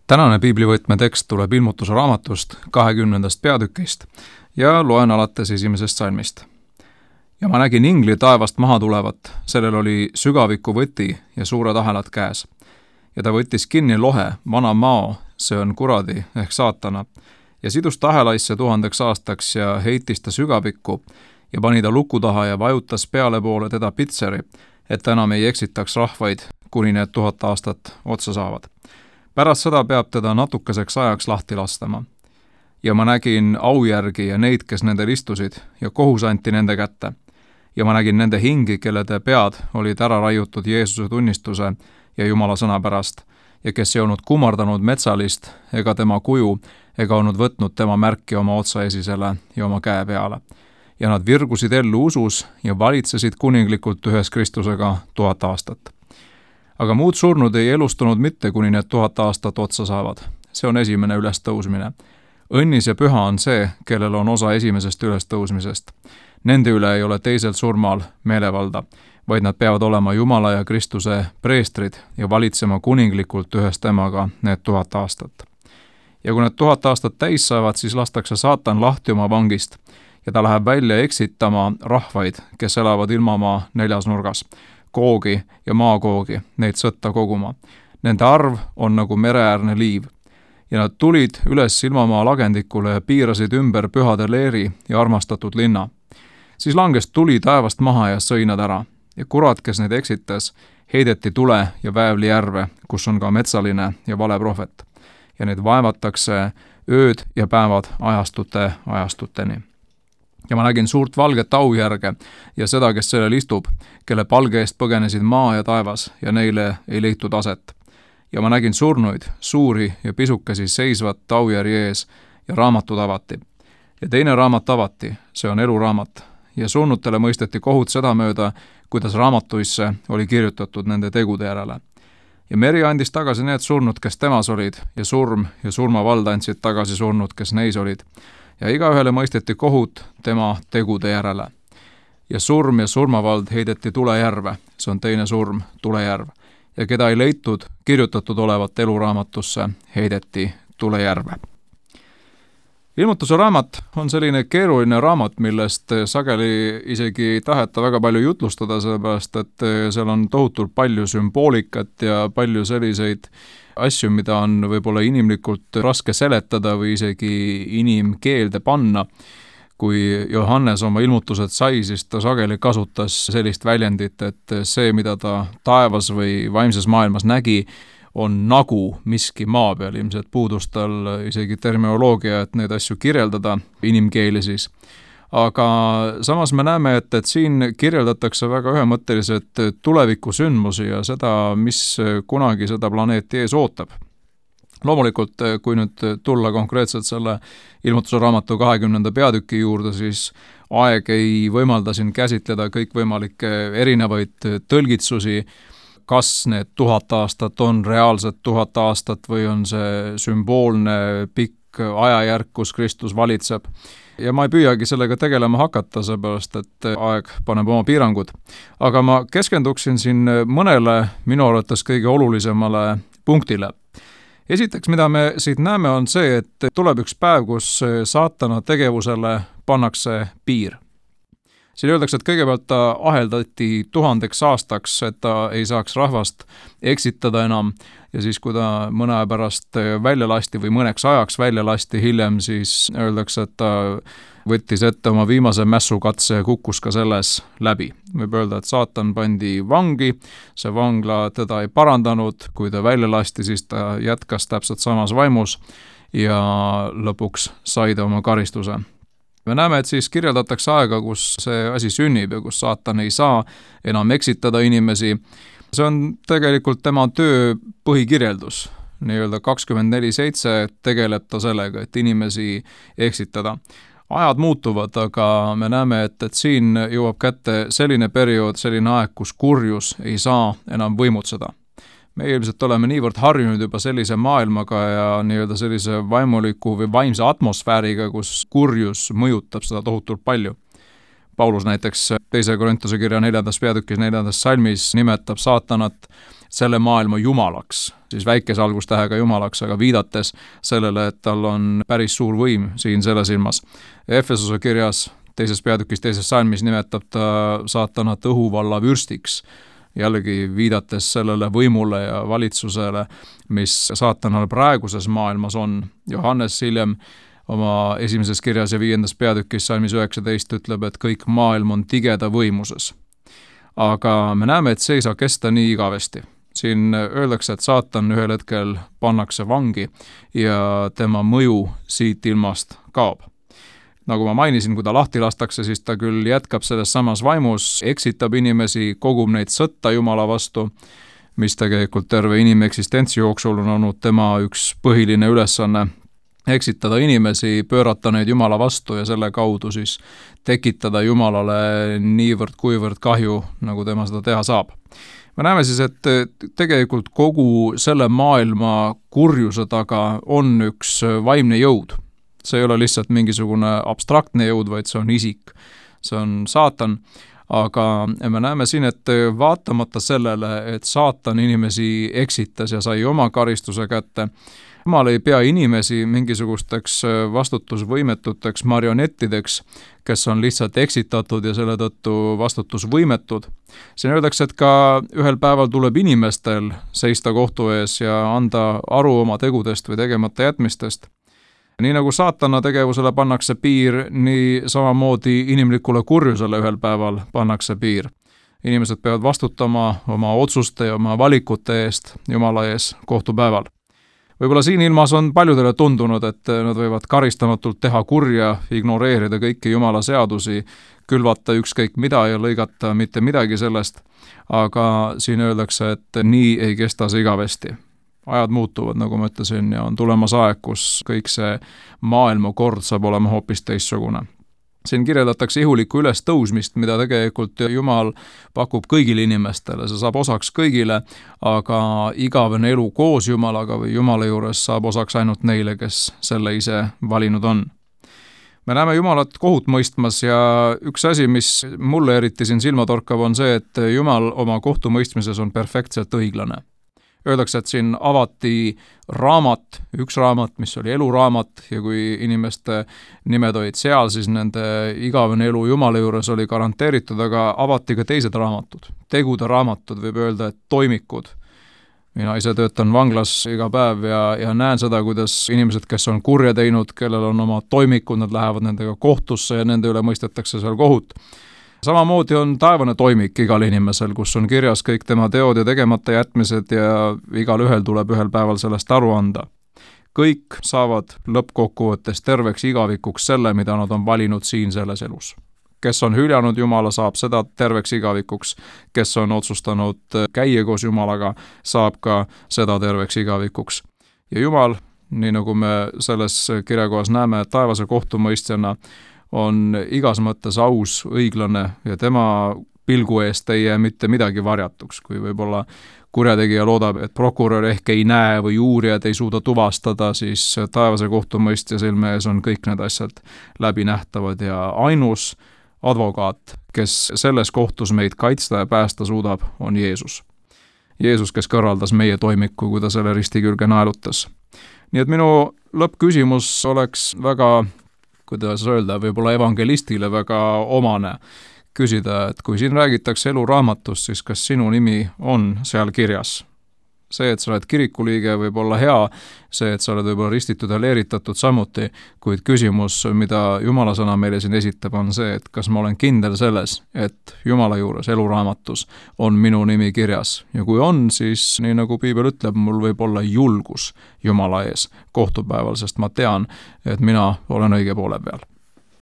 Tänane piiblivõtme tekst tuleb Ilmutuse raamatust 20. peatükist ja loen alates 1. salmist. Ja ma nägin ingli taevast maha tulevat, sellel oli sügaviku võti ja suured ahelad käes. Ja ta võttis kinni lohe, vana mao, see on kuradi ehk saatana, ja sidus ta ahelaisse 1000 aastaks ja heitis ta sügavikku ja pani ta luku taha ja vajutas peale poole teda pitseri, et ta enam ei eksitaks rahvaid, kuni need 1000 aastat otsa saavad. Pärast seda peab teda natukeseks ajaks lahti lastama. Ja ma nägin aujärgi ja neid, kes nendel istusid, ja kohus anti nende kätte. Ja ma nägin nende hingi, kellede pead olid ära raiutud Jeesuse tunnistuse ja Jumala sõna pärast, ja kes ei olnud kummardanud metsalist ega tema kuju, ega olnud võtnud tema märki oma otsaesisele ja oma käe peale. Ja nad virgusid ellu usus ja valitsesid kuninglikult ühes Kristusega 1000 aastat. Aga muud surnud ei elustunud mitte, kuni need 1000 aastat otsa saavad. See on esimene ülestõusmine. Õnnis ja püha on see, kellel on osa esimesest ülestõusmisest. Nende üle ei ole teisel surmal meelevalda, vaid nad peavad olema Jumala ja Kristuse preestrid ja valitsema kuninglikult ühes temaga need 1000 aastat. Ja kui need 1000 aastat täis saavad, siis lastakse saatan lahti oma vangist ja ta läheb välja eksitama rahvaid, kes elavad ilmamaa 4 nurgas. Koogi ja maakoogi, neid sõtta koguma. Nende arv on nagu mereäärne liiv. Ja nad tulid üles ilmamaa lagendikule ja piirasid ümber pühade leeri ja armastatud linna. Siis langes tuli taevast maha ja sõi nad ära. Ja kurat, kes neid eksitas, heideti tule ja väävli järve, kus on ka metsaline ja vale prohvet. Ja neid vaevatakse ööd ja päevad ajastuteni. Ja ma nägin suurt valget aujärge ja seda, kes sellel istub, kelle palge eest põgenesid maa ja taevas ja neile ei leitud aset. Ja ma nägin surnuid, suuri ja pisukesi seisvat aujärje ees ja raamatud avati. Ja teine raamat avati, see on eluraamat, ja surnutele mõisteti kohut sedamööda, kuidas raamatuisse oli kirjutatud nende tegude järele. Ja meri andis tagasi need surnud, kes temas olid, ja surm ja surmavald andsid tagasi surnud, kes neis olid. Ja igaühele mõisteti kohut tema tegude järele. Ja surm ja surmavald heideti tulejärve, see on teine surm, tulejärv. Ja keda ei leitud kirjutatud olevat eluraamatusse, heideti tulejärve. Ilmutuse raamat on selline keeruline raamat, millest sageli isegi ei taheta väga palju jutlustada, sellepärast et seal on tohutult palju sümboolikat ja palju selliseid asju, mida on võib-olla inimlikult raske seletada või isegi inimkeelde panna. Kui Johannes oma ilmutused sai, siis ta sageli kasutas sellist väljendit, et see, mida ta taevas või vaimses maailmas nägi, on nagu miski maa peal. Ilmselt puudus tal isegi terminoloogia, et neid asju kirjeldada, inimkeeli siis. Aga samas me näeme, et siin kirjeldatakse väga ühemõtteliselt tulevikusündmusi ja seda, mis kunagi seda planeeti ees ootab. Loomulikult, kui nüüd tulla konkreetselt selle Ilmutuse raamatu 20. peatüki juurde, siis aeg ei võimalda siin käsitleda kõikvõimalikke erinevaid tõlgitsusi, kas need 1000 aastat on reaalsed 1000 aastat või on see sümboolne pikk ajajärk, kus Kristus valitseb. Ja ma ei püüagi sellega tegelema hakata, seepärast, et aeg paneb oma piirangud. Aga ma keskenduksin siin mõnele minu arvates kõige olulisemale punktile. Esiteks, mida me siit näeme, on see, et tuleb üks päev, kus saatana tegevusele pannakse piir. Siin öeldakse, et kõigepealt ta aheldati 1000 aastaks, et ta ei saaks rahvast eksitada enam, ja siis, kui ta mõne aja pärast välja lasti või mõneks ajaks välja lasti hiljem, siis öeldakse, et ta võttis ette oma viimase mässukatse ja kukkus ka selles läbi. Võib öelda, et saatan pandi vangi, see vangla teda ei parandanud, kui ta välja lasti, siis ta jätkas täpselt samas vaimus ja lõpuks sai ta oma karistuse. Me näeme, et siis kirjeldatakse aega, kus see asi sünnib ja kus saatan ei saa enam eksitada inimesi. See on tegelikult tema töö põhikirjeldus. Nii-öelda 24/7 tegeleb ta sellega, et inimesi eksitada. Ajad muutuvad, aga me näeme, et siin jõuab kätte selline periood, selline aeg, kus kurjus ei saa enam võimutseda. Me ilmselt oleme niivõrd harjunud juba sellise maailmaga ja nii-öelda sellise vaimuliku või vaimse atmosfääriga, kus kurjus mõjutab seda tohutult palju. Paulus näiteks 2. Korintuse kirja 4. peatükis 4. salmis nimetab saatanat selle maailma jumalaks, siis väikese algustähega jumalaks, aga viidates sellele, et tal on päris suur võim siin selles ilmas. Efesuse kirjas 2. peatükis 2. salmis nimetab ta saatanat õhuvalla vürstiks, jällegi viidates sellele võimule ja valitsusele, mis saatanal praeguses maailmas on. Johannes hiljem oma 1. kirjas ja 5. peatükis salmis 19 ütleb, et kõik maailm on tigeda võimuses. Aga me näeme, et see ei saa kesta nii igavesti. Siin öeldakse, et saatan ühel hetkel pannakse vangi ja tema mõju siit ilmast kaob. Nagu ma mainisin, kui ta lahti lastakse, siis ta küll jätkab selles samas vaimus, eksitab inimesi, kogub neid sõtta Jumala vastu, mis tegelikult terve inimeksistentsi jooksul on olnud tema üks põhiline ülesanne, eksitada inimesi, pöörata neid Jumala vastu ja selle kaudu siis tekitada Jumalale niivõrd-kuivõrd kahju, nagu tema seda teha saab. Me näeme siis, et tegelikult kogu selle maailma kurjuse taga on üks vaimne jõud. See ei ole lihtsalt mingisugune abstraktne jõud, vaid see on isik. See on saatan, aga me näeme siin, et vaatamata sellele, et saatan inimesi eksitas ja sai oma karistuse kätte, Jumal ei pea inimesi mingisugusteks vastutusvõimetuteks marionettideks, kes on lihtsalt eksitatud ja selle tõttu vastutusvõimetud. Siin öeldakse, et ka ühel päeval tuleb inimestel seista kohtu ees ja anda aru oma tegudest või tegemata jätmistest. Nii nagu saatana tegevusele pannakse piir, nii samamoodi inimlikule kurjusele ühel päeval pannakse piir. Inimesed peavad vastutama oma otsuste ja oma valikute eest Jumala ees kohtupäeval. Võib-olla siin ilmas on paljudele tundunud, et nad võivad karistamatult teha kurja, ignoreerida kõiki Jumala seadusi, külvata ükskõik mida ja lõigata mitte midagi sellest, aga siin öeldakse, et nii ei kesta see igavesti. Ajad muutuvad, nagu ma ütlesin, ja on tulemas aeg, kus kõik see maailmakord saab olema hoopis teistsugune. Siin kirjeldatakse ihulikku ülestõusmist, mida tegelikult Jumal pakub kõigile inimestele, see saab osaks kõigile, aga igavene elu koos Jumalaga või Jumala juures saab osaks ainult neile, kes selle ise valinud on. Me näeme Jumalat kohut mõistmas ja üks asi, mis mulle eriti siin silmatorkav on see, et Jumal oma kohtumõistmises on perfektselt õiglane. Öeldakse, et siin avati raamat, üks raamat, mis oli eluraamat ja kui inimeste nimed olid seal, siis nende igavene elu Jumala juures oli garanteeritud, aga avati ka teised raamatud. Tegude raamatud, võib öelda, et toimikud. Mina ise töötan vanglas iga päev ja näen seda, kuidas inimesed, kes on kurja teinud, kellel on oma toimikud, nad lähevad nendega kohtusse ja nende üle mõistetakse seal kohut. Samamoodi on taevane toimik igal inimesel, kus on kirjas kõik tema teod ja tegemata jätmised ja igal ühel tuleb ühel päeval sellest aru anda. Kõik saavad lõppkokkuvõttes terveks igavikuks selle, mida nad on valinud siin selles elus. Kes on hüljanud Jumala, saab seda terveks igavikuks, kes on otsustanud käia koos Jumalaga, saab ka seda terveks igavikuks. Ja Jumal, nii nagu me selles kirjakohas näeme, taevase kohtumõistjana on igas mõttes aus, õiglane ja tema pilgu eest ei jää mitte midagi varjatuks, kui võib-olla kurjategija loodab, et prokurör ehk ei näe või uurijad ei suuda tuvastada, siis taevase kohtumõistja silme ees on kõik need asjad läbinähtavad ja ainus advokaat, kes selles kohtus meid kaitsta ja päästa suudab, on Jeesus. Jeesus, kes kõrvaldas meie toimiku, kui ta selle risti külge naelutas. Nii et minu lõppküsimus oleks väga, kuidas öelda, võib-olla evangelistile väga omane küsida, et kui siin räägitakse eluraamatust, siis kas sinu nimi on seal kirjas? See, et sa oled kirikuliige, võib olla hea, see, et sa oled võib-olla ristitud ja leeritatud samuti, kuid küsimus, mida Jumala sõna meile siin esitab, on see, et kas ma olen kindel selles, et Jumala juures eluraamatus on minu nimi kirjas. Ja kui on, siis nii nagu Piibel ütleb, mul võib olla julgus Jumala ees kohtupäeval, sest ma tean, et mina olen õige poole peal.